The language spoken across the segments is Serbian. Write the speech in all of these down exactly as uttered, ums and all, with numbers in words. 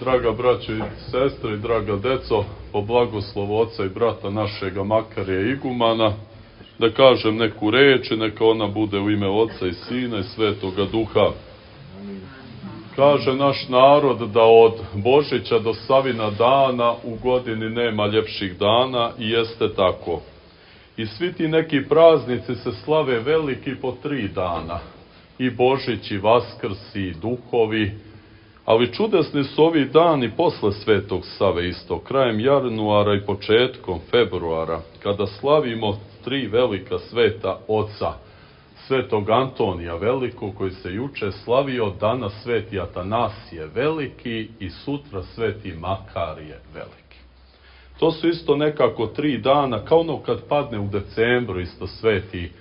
Draga braćo i sestre i draga deco, po blagoslovu oca i brata našega Makarija igumana, da kažem neku reč i neka ona bude u ime Oca i Sina i Svetoga Duha. Kaže naš narod da od Božića do Savina dana u godini nema ljepših dana i jeste tako. I svi ti neki praznici se slave veliki po tri dana. I Božić, i Vaskrs, i duhovi. Ali čudesni su ovi dani posle Svetog Save isto, krajem januara i početkom februara, kada slavimo tri velika sveta oca. Svetog Antonija Velikog, koji se juče slavio, danas sveti Atanasije Veliki i sutra sveti Makarije Veliki. To su isto nekako tri dana, kao ono kad padne u decembru isto sveti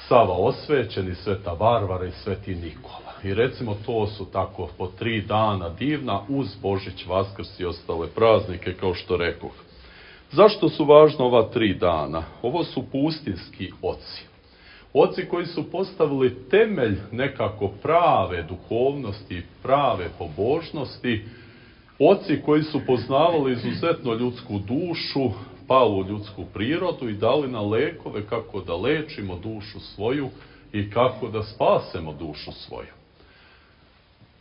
Sava osvećeni, sveta Varvara i sveti Nikola. I recimo to su tako po tri dana divna uz Božić, Vaskrs i ostale praznike, kao što rekoh. Zašto su važna ova tri dana? Ovo su pustinski oci. Oci koji su postavili temelj nekako prave duhovnosti, prave pobožnosti. Oci koji su poznavali izuzetno ljudsku dušu, palu ljudsku prirodu i dali na lekove kako da lečimo dušu svoju i kako da spasemo dušu svoju.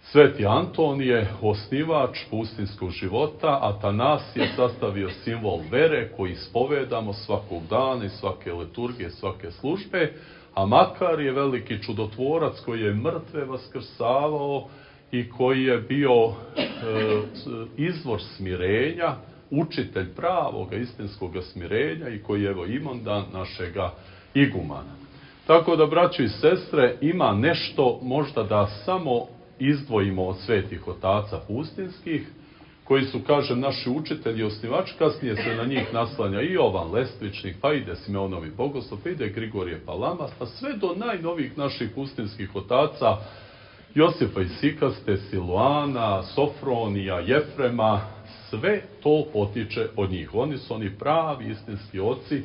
Sveti Anton je osnivač pustinskog života, Atanas je sastavio simbol vere koji ispovedamo svakog dana i svake liturgije, svake službe, a Makar je veliki čudotvorac koji je mrtve vaskrsavao i koji je bio e, izvor smirenja, učitelj pravoga istinskoga smirenja i koji je evo imondan našega igumana. Tako da, braćo i sestre, ima nešto možda da samo izdvojimo od svetih otaca pustinskih, koji su, kažem, naši učitelji i osnivači, kasnije se na njih naslanja i Jovan Lestvičnik, pa ide Simeonovi Bogoslov, pa ide Grigorije Palama, pa sve do najnovijih naših pustinskih otaca, Josipa i Sikaste, Siluana, Sofronija, Jefrema, sve to potiče od njih. Oni su oni pravi istinski oci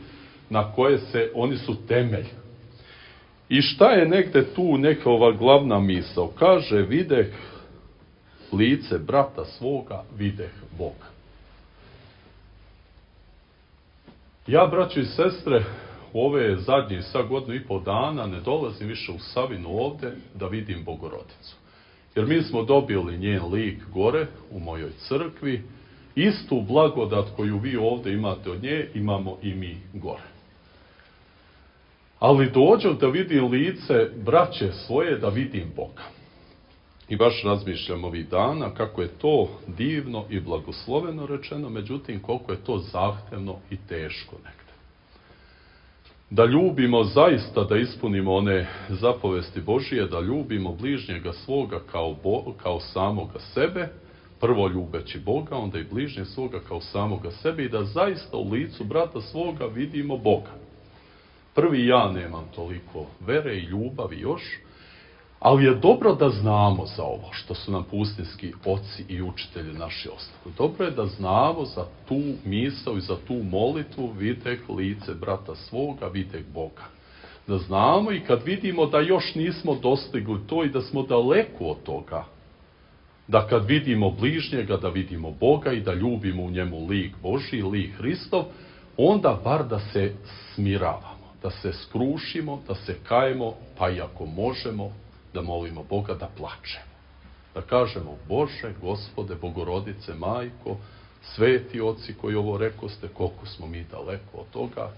na koje se, oni su temelj. I šta je negde tu neka ova glavna misao? Kaže, videh lice brata svoga, videh Boga. Ja, braćo i sestre, u ove zadnje sad godinu i pol dana ne dolazim više u Savinu ovde da vidim Bogorodicu. Jer mi smo dobili njen lik gore u mojoj crkvi, istu blagodat koju vi ovde imate od nje, imamo i mi gore. Ali dođem da vidim lice braće svoje, da vidim Boga. I baš razmišljam ovih dana kako je to divno i blagosloveno rečeno, međutim koliko je to zahtevno i teško negde. Da ljubimo zaista, da ispunimo one zapovesti Božije, da ljubimo bližnjega svoga kao, Bo, kao samoga sebe, prvo ljubeći Boga, onda i bližnje svoga kao samoga sebe i da zaista u licu brata svoga vidimo Boga. Prvi ja nemam toliko vere i ljubavi još, ali je dobro da znamo za ovo što su nam pustinski oci i učitelji naši ostavili. Dobro je da znamo za tu misao i za tu molitvu, videh lice brata svoga, videh Boga. Da znamo i kad vidimo da još nismo dostigli to i da smo daleko od toga, da kad vidimo bližnjega, da vidimo Boga i da ljubimo u njemu lik Božji, lik Hristov, onda bar da se smiravamo, da se skrušimo, da se kajemo, pa i ako možemo, da molimo Boga, da plačemo. Da kažemo, Bože, Gospode, Bogorodice, Majko, sveti oci koji ovo rekoste, koliko smo mi daleko od toga,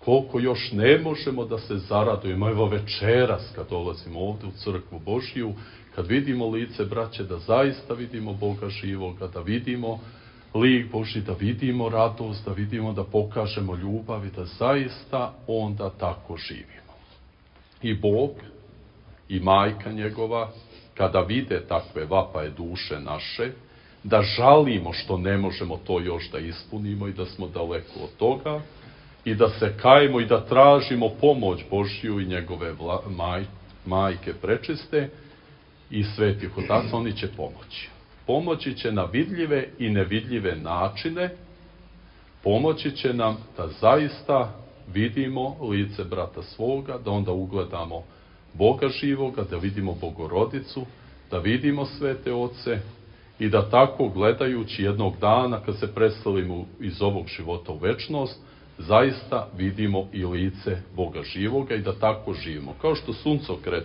koliko još ne možemo da se zaradujemo. Evo večeras, kad dolazimo ovde u crkvu Božiju, kad vidimo lice braće, da zaista vidimo Boga živoga, da vidimo lik Božji, da vidimo radost, da vidimo, da pokažemo ljubav i da zaista onda tako živimo. I Bog i majka njegova, kada vide takve vapaje duše naše, da žalimo što ne možemo to još da ispunimo i da smo daleko od toga, i da se kajemo i da tražimo pomoć Božju i njegove vla, maj, majke prečiste i svetih otaca, oni će pomoći. Pomoći će na vidljive i nevidljive načine, pomoći će nam da zaista vidimo lice brata svoga, da onda ugledamo Boga živoga, da vidimo Bogorodicu, da vidimo svete oce i da tako gledajući jednog dana kad se preselimo iz ovog života u večnost, zaista vidimo i lice Boga živoga i da tako živimo. Kao što suncokret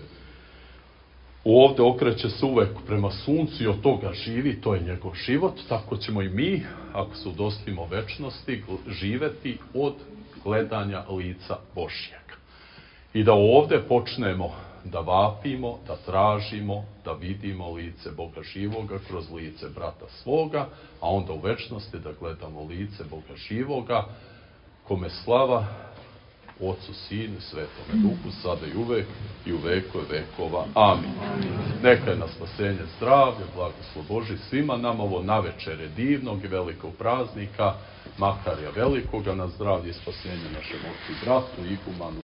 ovdje okreće se uvek prema suncu i od toga živi, to je njegov život, tako ćemo i mi, ako se udostojimo večnosti, živeti od gledanja lica Božjega. I da ovdje počnemo da vapimo, da tražimo, da vidimo lice Boga živoga kroz lice brata svoga, a onda u večnosti da gledamo lice Boga živoga, kome slava Otcu, Sinu, Svetome Duhu, sada i uvek i u vekove vekova. Amin. Neka je na spasenje zdravlje, blagoslov Božji svima nama ovo navečere divnog i velikog praznika, Makarija velikoga, na zdravlje i spasenje našem ocu i bratu, igumanu